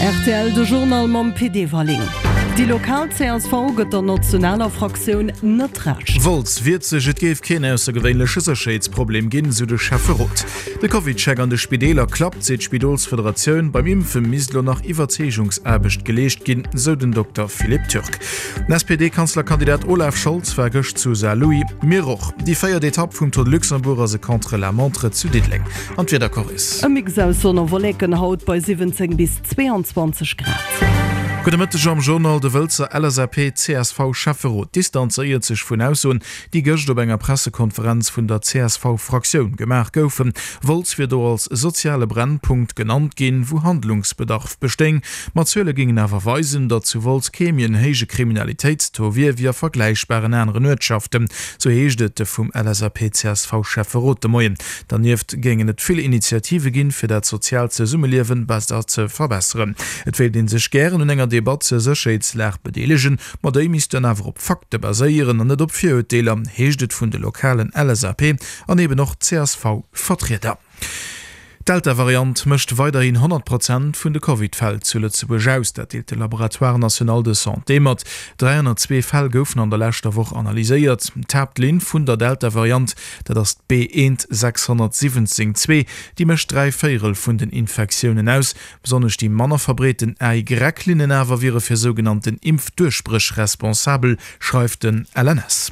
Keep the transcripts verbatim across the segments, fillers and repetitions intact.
Rtl, De Journal mam Pit Everling. Déi lokal csv gëtt der nationaler Fraktioun net Recht. Wolz wiert sech, Et géif keen aussergewéinleche Sécherheetsproblem ginn, sou de Schäfferot. De CovidCheck an de Spideeler klappt, seet d'Spidolsfederatioun. Beim Impfe misst elo nach Iwwerzeegungsaarbecht geleescht ginn, sou den Dokter Philippe Türk. Den S P D-Kanzlerkandidat Olaf Scholz war gëscht zu Saarlouis. Mir och. Déi véiert Etapp vum Tour de Luxembourg ass e Contre-la-montre zu Diddeleng. An d'Wieder, Coris. E Mix aus Sonn a Wolleken haut bei siwwenzéng bis zweeanzwanzeg Grad. Gudde Mëtteg am Journal. De Wëlzer L S A P C S V Schäfferot distanzéiert sech vun Aussoen, déi gëscht op enger Pressekonferenz vun der C S V Fraktioun gemaach goufen. Wolz wier do als soziale Brennpunkt genannt ginn, wou Handlungsbedarf bestéing. Ma Zuele géingen awer weisen, datt zu Wolz kee méi en héije Kriminalitéitstaux wier wéi a vergläichbaren aneren Uertschaften, sou heescht et vum L S A P C S V Schäfferot de Moien. Dernieft géingen et vill Initiative ginn, fir dat soziaalt Zesummeliewe besser ze verbesseren. Et wéilt ee sech gären un enger Debatt zur Sécherheetslag bedeelegen, ma déi misst dann awer op Fakte baséieren an net op Virurteeler, heescht et vun de lokalen L S A P an eben och C S V-Vertrieder. D'Delta-Variant mécht weiderhin honnert Prozent vun de Covid-Fäll zu Lëtzebuerg aus, dat deelt de Laboratoire national de santé mat. dräihonnertzwee Fäll goufen an der leschter Woch analyséiert. D'Haaptlinn vun der Delta-Variant, dat ass d'B eent sechshonnertsiwwenzéng zwee, déi mécht dräi Véierel vun den Infektiounen aus. Besonnesch déi manner verbreeten A Y-Linnen awer wiere fir sougenannten Impfduerchbréch responsabel, schreift den L N S.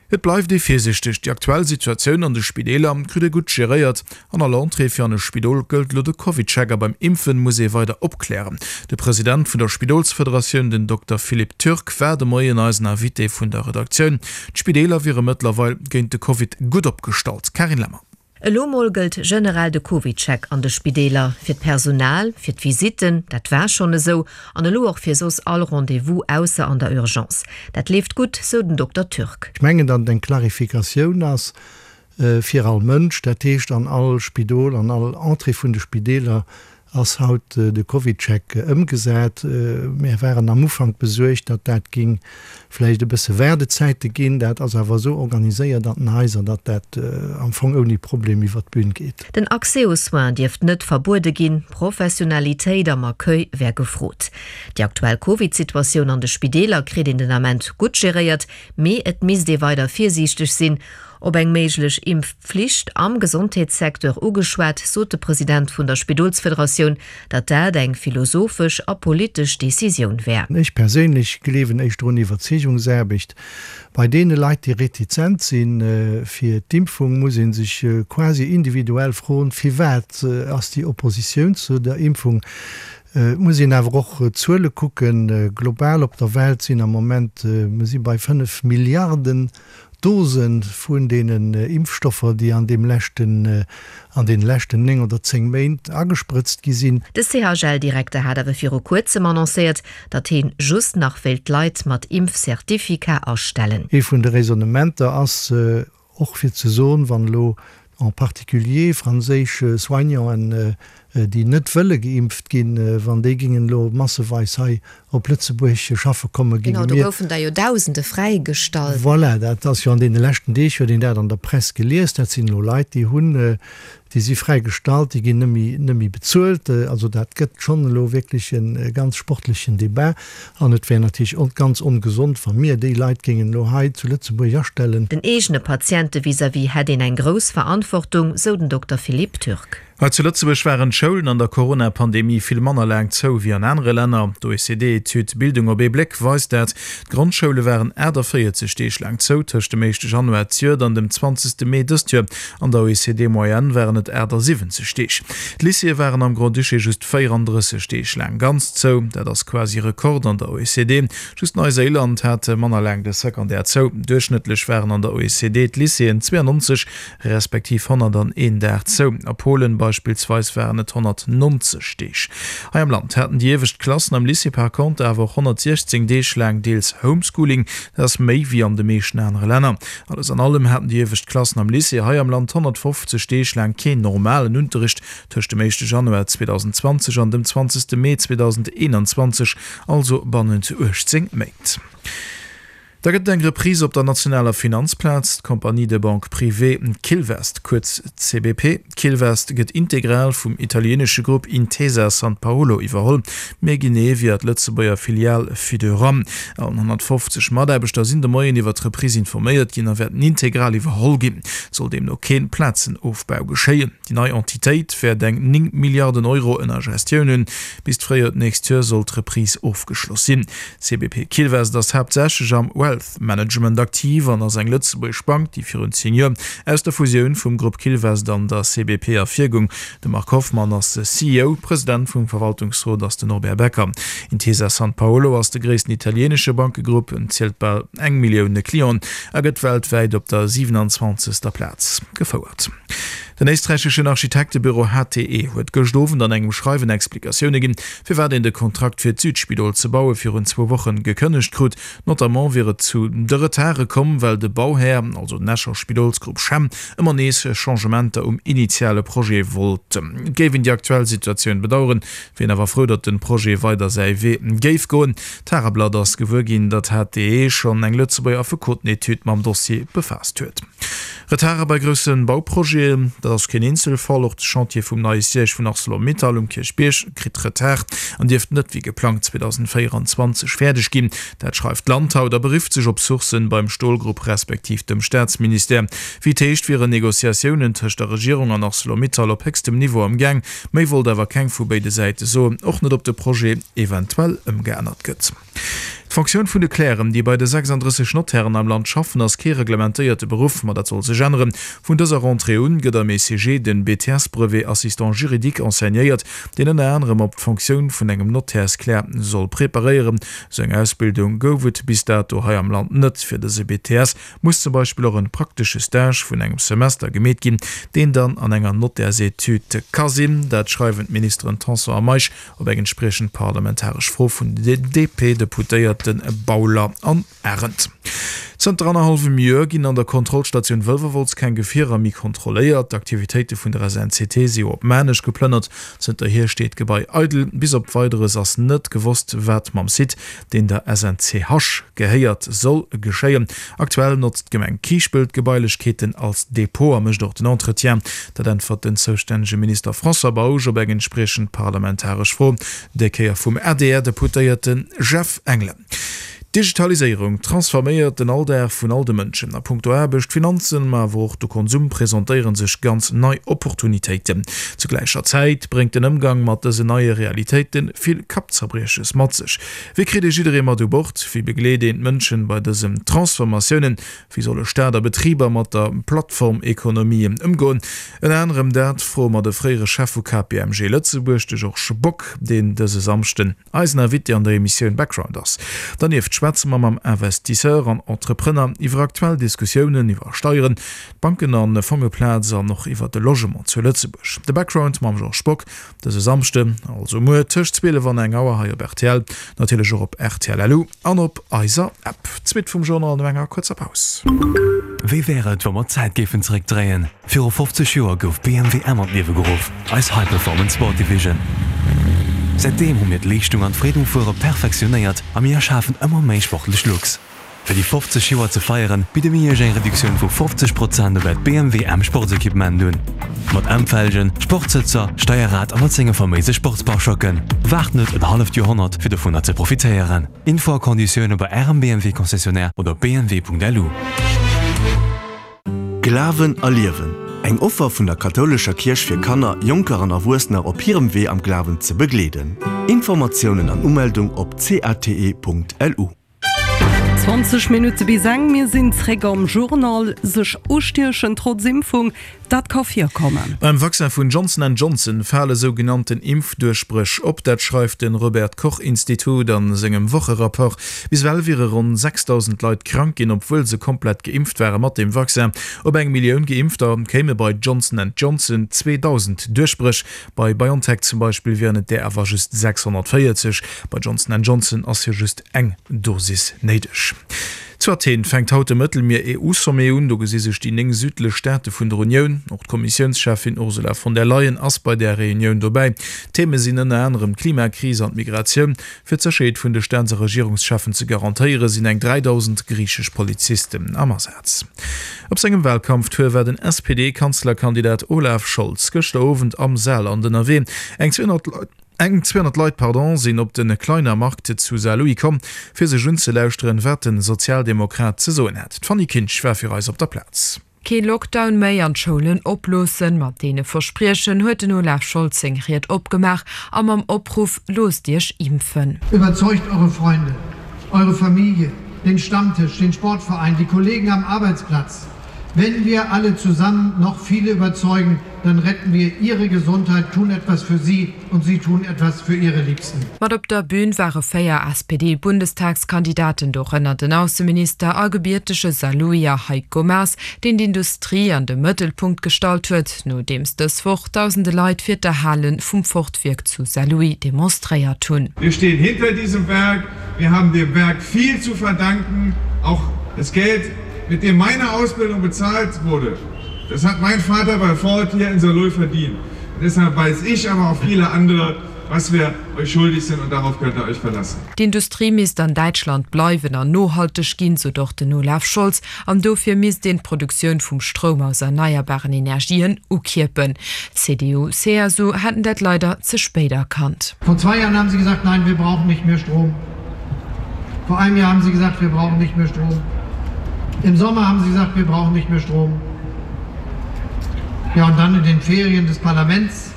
Et bleift ee virsiichteg, déi aktuell Situatioun an de Spideeler kritt ee gutt geréiert. An all Entrée fir an e Spidol gëllt elo de CovidCheck a beim Impfen muss ee weider opklären. De President vun der Spidolsfederatioun, den Dokter Philippe Türk, war de Moien eisen Invité vun der Redaktioun. D'Spideeler wiere mëttlerweil géint de Covid gutt opgestallt. Carine Lemmer. Elo mol gëllt generell de CovidCheck an de Spideeler fir d'Personal, fir d'Visitten, dat war schonn esou, an elo och fir soss all Rendez-vous ausser an der Urgence. Dat leeft gutt, sou den Dokter Türk. Ech mengen, datt et eng Klarifikatioun ass fir all Mënsch, dat heescht an all Spidol, an all Entrée vun de Spideeler ass haut de CovidCheck ëmgesat. Mir waren am Ufank besuergt, datt dat géing vläicht e bësse Waardezäite ginn. Dat ass awer esou organiséiert an den Haiser, datt dat am Fong ouni Problem iwwert d'Bün geet. Den Accès aux soins dierft net verbuede ginn, Professionalitéit am Accueil wär gefrot. Déi aktuell Covid-Situatioun an de Spideeler kritt een den Ament gutt geréiert, mee et misst ee weider virsiichteg sinn. Op eng méiglech Impfflicht am Gesondheetssecteur ugeschwat, sot de President vun der Spidolsfederatioun, datt dat eng philosophesch a politesch Decisioun wär. Ech perséinlech gleewen éischter un Iwwerzeegungsaarbecht. Bei deene Leit, déi retizent si fir d'Impfung, muss ee sech quasi individuell froen, firwat ass déi Oppositioun zu der Impfung. Et muss een awer och d'Zuele kucken. Global op der Welt sinn am Moment, mir si bei fënnef Milliarden Dose vun deenen Impfstoffer, déi an deem leschten, an deene leschten néng oder zéng Méint agesprëtzt gi sinn. De C H L-Direkter hat awer viru kuerzem annoncéiert, datt hien just nach wéilt Leit mat Impfcertificat astellen. Ee vun de Raisonnementer ass och fir ze soen, wann elo en particulier franséisch Soignanten, déi net wëlle geimpft ginn, wann déi gingen elo masseweis hei op Lëtzebuerg schaffe kommen, ginge Genau, do mir. goufen der jo Dausende fräigestallt. Voilà, dat ass jo an deene leschten Deeg huet een dat an der Press gelies. Dat sinn elo Leit, déi hunn, déi si fräigestallt, déi ginn net méi, net méi bezuelt. Also dat gëtt schonn elo wierklech e ganz sportlechen Debat. An et wär natierlech ganz ongesond, wa mir déi Leit géingen elo hei zu Lëtzebuerg astellen. Den eegene Patiente vis-à-vis hätt een eng grouss Verantwortung, sou den Dokter Philippe Türk. Hei zu Lëtzebuerg waren d'Schoulen an der Corona-Pandemie vill manner laang zou wéi an anere Länner. D'O E C D-Etüd Bildung op ee Bléck weist dat. D'Grondschoule waren aachtavéierzeg Deeg laang zou tëscht dem éischte Januar d'Joert an dem zwanzegste Mee dëst Joer. An der O E C D-Moyenne waren et aachtasiwwenzeg Deeg. D'Lycéeë waren am Grand-Duché just véierandrësseg Deeg laang ganz zou. Dat ass quasi Rekord an der O E C D. Just Neiséiland hat manner laang de Secondaire zou. Duerchschnëttlech waren an der O E C D d'Lycéeën zweeannonzeg respektiv honnertaneen Dag zou. A Polen beispillsweis waren et honnertnonzeg Deeg. Hei am Land haten déi iewescht Klassen am Lycée par contre awer och honnertsiechzéng Deeg laang deels Homeschooling. Dat ass méi wéi an de meeschten anere Länner. Alles an allem haten déi iewescht Klassen am Lycée hei am Land honnertfofzeg Deeg laang keen normalen Unterricht tëscht dem éischte Januar zweedausendzwanzeg an dem zwanzegste Mee zweedausendeenanzwanzeg, also bannent uechtzéng Méint. Da gëtt et eng Reprise op der nationaler Finanzplaz, D'Compagnie de Banque Privée Quilvest, kuerz C B P Quilvest, gëtt integral vum italieenesche Grupp Intesa Sanpaolo iwwerholl, méi genee via d'Lëtzebuerger Filial Fideuram. All honnertfofzeg Mataarbechter sinn de Moien iwwer d'Reprise informéiert ginn a wäerten integral iwwerholl ginn. Et soll deemno kee Plazenofbau geschéien. Déi nei Entitéit wäert eng néng Milliarden Euro ënner Gestioun hunn. Bis d'Fréijoer d'nächst Joer soll d'Reprise ofgeschloss sinn. C B P Quilvest ass haaptsächlech am Wealth Management aktiv an ass eng lëtzebuergesch Bank, déi virun zéng Joer aus der Fusioun vum Grupp Quilvest an der C B P ervirgoung. De Marc Hoffmann ass C E O, President vum Verwaltungsrot ass den Norbert Becker. Intesa Sanpaolo ass de gréissten italieenesche Bankegrupp, en zielt bal eng Millioun Clienten a gëtt weltwäit op der siwenanzwanzegster Plaz gefouert. Den éisträicheschen Architektebüro H T E huet gëscht Owend an engem Schreiwen Explikatioune ginn, firwat een de Kontrakt fir d'Südspidol ze baue virun zwou Wochen gekënnegt krut. Notamment wier et zu de Retarde komm, well de Bauhär, also den Escher Spidolsgrupp CHEM, ëmmer nees Changementer um initiale Projet wollt. Et géif een déi aktuell Situatioun bedaueren, wier een awer frou, datt de Projet weider säi Wee géif goen. D'Tageblatt ass gewuer ginn, datt H T E schonn eng Lëtzebuerger Affekotenetude mam Dossier befaasst huet. Retarde bei grousse Bauprojeten, dat ass keen Eenzelfall. Och de Chantier vum neie Siège vun Arcelor-Mittal um Kierchbierg kritt Retard an dierft net wéi geplangt zweedausendvéierenzwanzeg fäerdeg ginn. Dat schreift d'Land haut a berifft sech op Sourcen beim Stolgrupp respektiv dem Staatsministère. Wéi et heescht, wieren Negociatiounen tëscht der Regierung an Arcelor-Mittal op héchstem Niveau am Gaang. Méi wollt awer keng vu béide Säite soen, och net ob de Projet eventuell ëmgeännert gëtt. D'Fonctioun vun de Clercen, déi bei de sechsanddrësseg Notairen am Land schaffen, ass kee reglementéierte Beruff, ma dat soll sech änneren. Vun dëser Rentrée un gëtt am E C G den B T S-Brevet Assistant juridique enseignéiert, deen ënner anerem op d'Fonctioun vun engem Notairsclerc soll preparéieren. Sou eng Ausbildung gouf et bis dato hei am Land net. Fir dëse B T S muss zum Beispill och en praktesche Stage vun engem Semester gemeet ginn, deen dann an enger Notaires-Etüd ka sinn. Dat schreiwen d'Ministeren Tanson a Meisch op eng entspriechend parlamentaresch Fro vun den D P-Deputéierte Bauler an Arendt. Zënter annerhallwem Joer ginn an der Kontrollstatioun Wëlwerwolz keng Gefierer méi kontrolléiert. D'Aktivitéite vun der S N C T si op Maarnech geplënnert. Zënterhier steet d'Gebai eidel. Bis op Weideres ass net gewosst, wat mam Site, deen der S N C H gehéiert, soll geschéien. Aktuell notzt d'Gemeng Kiischpelt d'Gebailechkeeten als Depot a mécht och den Entretien. Dat äntwert den zoustännege Minister François Bausch op eng entspriechend parlamentaresch Fro, déi Kéier vum A D R-Deputéierte Jeff Engelen. D'Digitaliséierung transforméiert den Alldag vun all de Mënschen. A punkto Aarbecht, Finanzen, ma awer och de Konsum presentéiere sech ganz nei Opportunitéiten. Zu gläicher Zäit bréngt den Ëmgang mat dësen neie Realitéite vill Kappzerbrieches mat sech. Wéi kritt ee jidderee mat u Bord? Wéi begleet een d'Mënschen bei dësen Transformatiounen? Wéi solle Staat a Betriber mat der Plattformekonomie ëmgoen? Ënner anerem dat froe mer de fréiere Chef vu K P M G Lëtzebuerg, de Georges Bock, deen dëse Samschden eisen Invité an der Emissioun Background ass. Dernieft schwätze mer mam Investisseur an Entrepreneur iwwer aktuell Diskussiounen iwwer Steieren, d'Banken an Fongeplaz an och iwwer de Logement zu Lëtzebuerg. De Background mam Georges Bock dëse Samschden, also muer tëscht zwielef an eng Auer hei op R T L, natierlech och op R T L L U an op eiser App. D'Suite vum Journal no enger kuerzer Paus. Wéi wär et, wa mer d'Zäit géifen zeréckdréien? Viru fofzeg Joer gouf B M W M an d'Liewe geruff, eis High Performance Sport Division. Säitdeem hu mir d'Leeschtung an d'Freed um Fuere perfektionéiert a mir erschafen ëmmer méi sportlech Looks. Fir déi fofzeg Joer ze feieren, bidde mir Iech eng Reduktioun vu fofzeg Prozent op äert B M W M Sportsequipement un. Mat M-Felgen, Sportsëtzer, Steierrad a mat senge faméise Sportspare-Choquen. Waart net en halleft Joerhonnert, fir dovunner ze profitéieren. Info a Konditioune bei Ärem B M W Concessionnaire oder op B M W Punkt L U. Glawen erliewen, Eng Offer vun der kathoulescher Kierch fir Kanner, Jonker an Erwuessener op hirem Wee am Glawen ze begleeden. Informatiounen an Umeldung op C A T E Punkt L U. Zwanzeg Minutte bis eng, mir sinn zréck am Journal. Sech ustiechen trotz Impfung, dat ka virkommen. Beim Vaccin vun Johnson and Johnson fale sougenannten Impfduerchbréch op, dat schreift de Robert Koch Institut a sengem Wocherapport. Bis ewell wiere ronn sechsdausend Leit krank ginn, obwuel se komplett geimpft ware mat dem Vaccin. Op eng Millioun Geimpfter kéime bei Johnson and Johnson zweedausend Duerchbréch, bei BioNTech zum Beispill wieren et där awer just sechshonnertvéierzeg. Bei Johnson and Johnson ass jo just eng Dosis néideg. Zu Athen fänkt haut de Mëttelmier-EU-Sommet un. Do gesi sech déi néng südlech Staate vun der Unioun. Och d'Kommissiounscheffin Ursula von der Leyen ass bei där Reunioun dobäi. Theeme sinn ënner anerem d'Klimakris an d'Migratioun. Fir d'Sécherheet vun de Staats a Regierungscheffen ze garantéieren, sinn eng dräidausend griichesch Polizisten am Asaz. Op sengem Walkampftour war den S P D-Kanzlerkandidat Olaf Scholz gëschter Owend am Saarland ënnerwee. Eng zweehonnert Leit. Eng zweehonnert Leit, pardon, sinn op de Kleiner Markt zu Saarlouis komm, fir sech unzelauschteren, wat de Sozialdemokrat ze soen hätt. D'Fanny Kinsch war fir eis op der Plaz. Kee Lockdown méi an d'Schoulen oploossen, mat deene Verspriechen huet den Olaf Scholz seng Ried opgemaach a mam Opruff Loosst Iech impfen. Überzeugt eure Freunde, eure Familie, den Stammtisch, den Sportverein, die Kollegen am Arbeitsplatz. Wenn wir alle zusammen noch viele überzeugen, dann retten wir ihre Gesundheit, tun etwas für sie und sie tun etwas für ihre Liebsten. Mat op der Bün ware véier S P D-Bundestagskandidaten, dorënner den Ausseminister a gebiertege Saarlouier Heiko Maas, deen d'Industrie an de Mëttelpunkt gestallt huet, nodeems dës Woch dausende Leit fir d'Erhale vum Ford-Wierk zu Saarlouis demonstréiert hunn. Wir stehen hinter diesem Werk. Wir haben dem Werk viel zu verdanken. Auch das Geld, mit dem meine Ausbildung bezahlt wurde, das hat mein Vater bei Ford hier in Saarlouis verdient. Und deshalb weiß ich, aber auch viele andere, was wir euch schuldig sind und darauf könnt ihr euch verlassen. D'Industrie misst an Däitschland bleiwen an nohalteg ginn, sou och den Olaf Scholz, an dofir misst een d'Produktioun vum Stroum aus erneierbaren Energien ukierpen. C D U, C S U hätten dat leider ze spéit erkannt. Vor zwei Jahren haben sie gesagt, nein, wir brauchen nicht mehr Strom. Vor einem Jahr haben sie gesagt, wir brauchen nicht mehr Strom. Im Sommer haben sie gesagt, wir brauchen nicht mehr Strom. Ja, und dann in den Ferien des Parlaments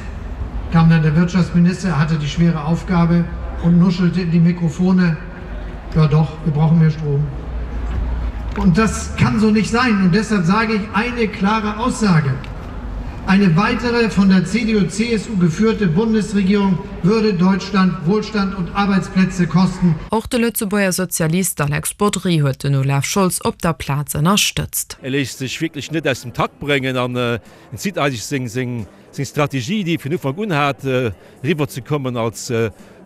kam dann der Wirtschaftsminister, er hatte die schwere Aufgabe und nuschelte in die Mikrofone, ja doch, wir brauchen mehr Strom. Und das kann so nicht sein. Und deshalb sage ich eine klare Aussage. Eine weitere von der C D U-C S U geführte Bundesregierung würde Deutschland Wohlstand und Arbeitsplätze kosten. Och de Lëtzebuerger Sozialist Alex Bodry huet den Olaf Scholz op der Plaz ënnerstëtzt. E léisst sech wierklech net aus dem Takt bréngen an en zitt eigentlech seng seng seng Strategie, déi e vun Ufank un hat, eriwwer ze kommen als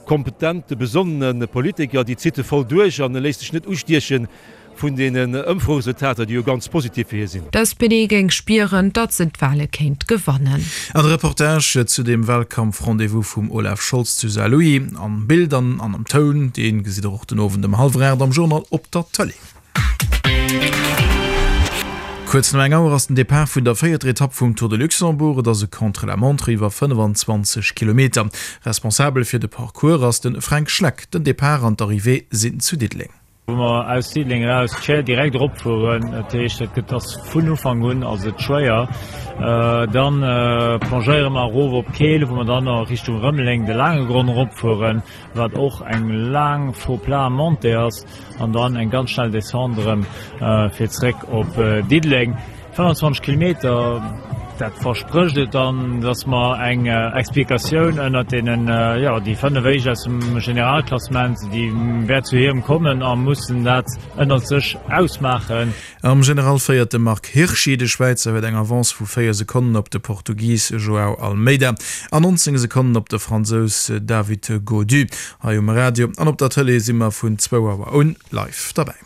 kompetente, besonnene Politiker, déi zitt e voll duerch an e léisst sech net ustiechen vun deenen Ëmfroresultater, déi jo ganz positiv fir hie sinn. D' S P D géing spieren, datt se d'Wale kéint gewannen. An de Reportage zu dem Wahlkampf-Rendez-vous vum Olaf Scholz zu Saarlouis, am Bild an am Toun, dee gesitt der och den Owend um hallwer aacht am Journal op der Tëlee. Kuerz no eng Auer ass den Depart vun der véierter Etapp vum Tour de Luxembourg. Et ass e Contre-la-montre iwwer fënnefenzwanzeg Kilometer. Responsabel fir de Parcours ass de Fränk Schleck. Den Depart an d'Arrivée sinn zu Diddeleng. Wou mer aus Diddeleng eraus d'Schär direkt eropfueren, dat heescht et gëtt ass vun Ufank un ass et schwéier. Dann plongéiere mer erof op Keel, wou mer dann a Richtung Rëmeleng de Laangegronn eropfueren, wat och eng laang faux plat Montée ass an dann eng ganz schnell Descente erëm fir zréck op Diddeleng. fënnfanzwanzeg Kilometer, dat versprécht et dann, dass mer eng Explikatioun ënnert deenen, jo, déi fënnef éischt aus dem Generalklassement, déi wäert zu hirem kommen a mussen dat ënnert sech ausmaachen. Am General féiert de Marc Hirschi. De Schwäizer huet eng Avance vu véier Sekonnen op de Portugis João Almeida an nonzéng Sekonnen op de Fransous David Gaudu. Hei um Radio an op der Tëlee si mer vun zwou Auer un live derbäi.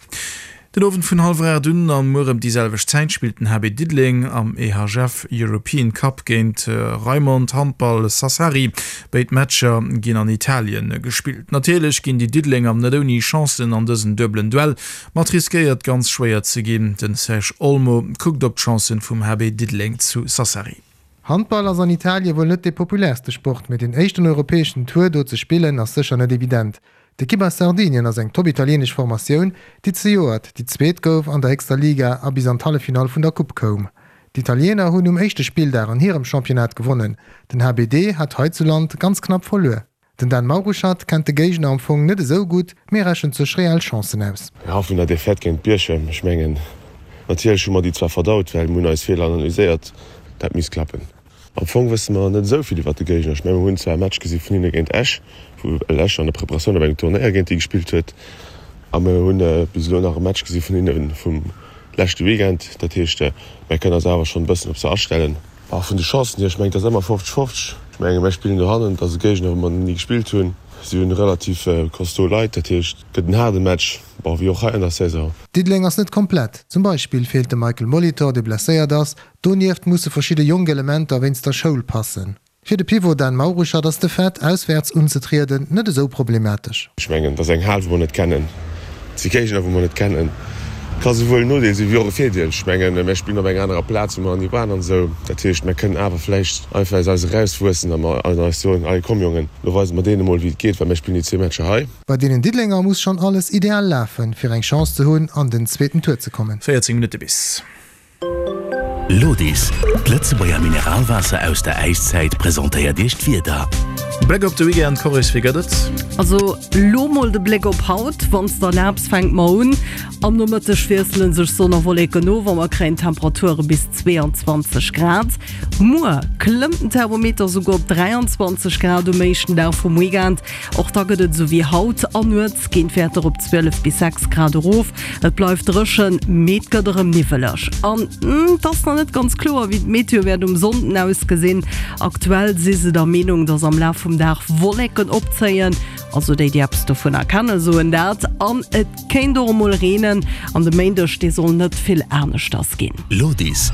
Den Owend vun hallwer aacht un an muer ëm déi selwecht Zäit spillt den H B Diddeleng am E H F European Cup géint Raimond Handball Sassari. Béid Matcher ginn an Italien gespillt. Natierlech ginn déi Diddelenger net ouni Chancen an dësen duebelen Duell, ma et riskéiert ganz schwéier ze ginn. Den Serge Olmo kuckt op d'Chancen vum H B Diddeleng zu Sassari. Handball ass an Italie wuel net dee populärste Sport, mee den éischten europäeschen Tour do ze spillen ass sécher net evident. D'Ekipp aus Sardinien ass eng top-italieenesch Formatioun, déi zejoert déi Zweet gouf an der héchster Liga a bis an d'Halleffinall vun der Coupe koum. D'Italiener hunn um éischte Spilldag an hirem Championnat gewonnen, den H B D hat heizuland ganz knapp verluer. Den Dan Mauruschatt kennt de Géigner am Fong net esou gutt, mee rechent sech reell Chancen aus. Jo, vun der Defaite géint Bierchem, ech mengen, natierlech hu mer déi zwar verdaut, well mir hunn eis Feeler analyséiert, dat misst klappen. Am Fong wësse mer net esou vill iwwer de Géigner. Ech mengen, mer hunn zwar e Match gesi vun hinne géint Esch, wou Esch an der Preparatioun op engem Turnéier géint déi gespillt huet. A mer hunn bis elo nach e Match gesi vun hinne vum leschte Weekend. Dat heescht, mer kënnen eis awer schonn e bëssen op se astellen. A vun de Chancen hier, ech mengen, et ass ëmmer fofzeg fofzeg. Ech mengen, mer spillen dohannen, et ass e Géigner, wou mer ni gespillt hunn. Si hunn relativ costaud Leit, dat heescht et gëtt en haarde Match, bon wéi och hei an der Saison. Diddeleng ass net komplett, zum Beispill feelt de Michael Molitor, dee blesséiert ass. Donieft musse verschidde jonk Elementer wéinst der Schoul passen. Fir de Pivot Dan Mauruschatt ass de Fait, auswäerts unzetrieden, net esou problematesch. Ech mengen, et ass eng Hal, wou mer net kennen. Et si Géigner, wou mer net kennen. Et ka souwuel en Nodeel sinn, wéi och e Virdeel. Ech mengen, mär spillen op enger anerer Plaz, wou mer ni waren an esou. Dat heescht, mär kënnen awer vläicht einfach aus eis erauswuessen a mer an eis soen, Allez, komm Jongen, lo weise mer deene mol, wéi et geet, well mär spillen déi zwee Matcher hei. Bei deenen Diddelenger muss schonn alles ideal lafen, fir eng Chance ze hunn, an den zweeten Tour ze kommen. véierzéng Minutte bis. Lodis, d'Lëtzebuerger Mineralwaasser aus der Äiszäit presentéiert Iech d'Wieder. Bléck op de Weekend, Coris, wéi gëtt et? Also lo mol de Bléck op haut, wann s de erlaabs fänke mer un. Am Nomëtteg wiessele sech Sonn a Wolleken of a mer kréien Temperature bis zweeanzwanzeg Grad. Muer klëmmt den Thermometer souguer op dräianzwanzeg Grad um éischten Dag vum Weekend. Och da gëtt et esou wéi haut an nuets ginn d'Wäerter op zwielef bis sechs Grad erof. Et bleift dréchen, mee et gëtt erëm niwweleg. An et ass nach net ganz kloer, wéi d'Meteo wäert um Sonnden ausgesinn. Aktuell si se der Meenung, dass am Laf vum Dag Wolleken opzéien, also déi, déi eppes dovunner kennen, soen dat. An et kéint och emol reenen. An de Méindeg, dee soll net vill aneschters ginn. Lodis.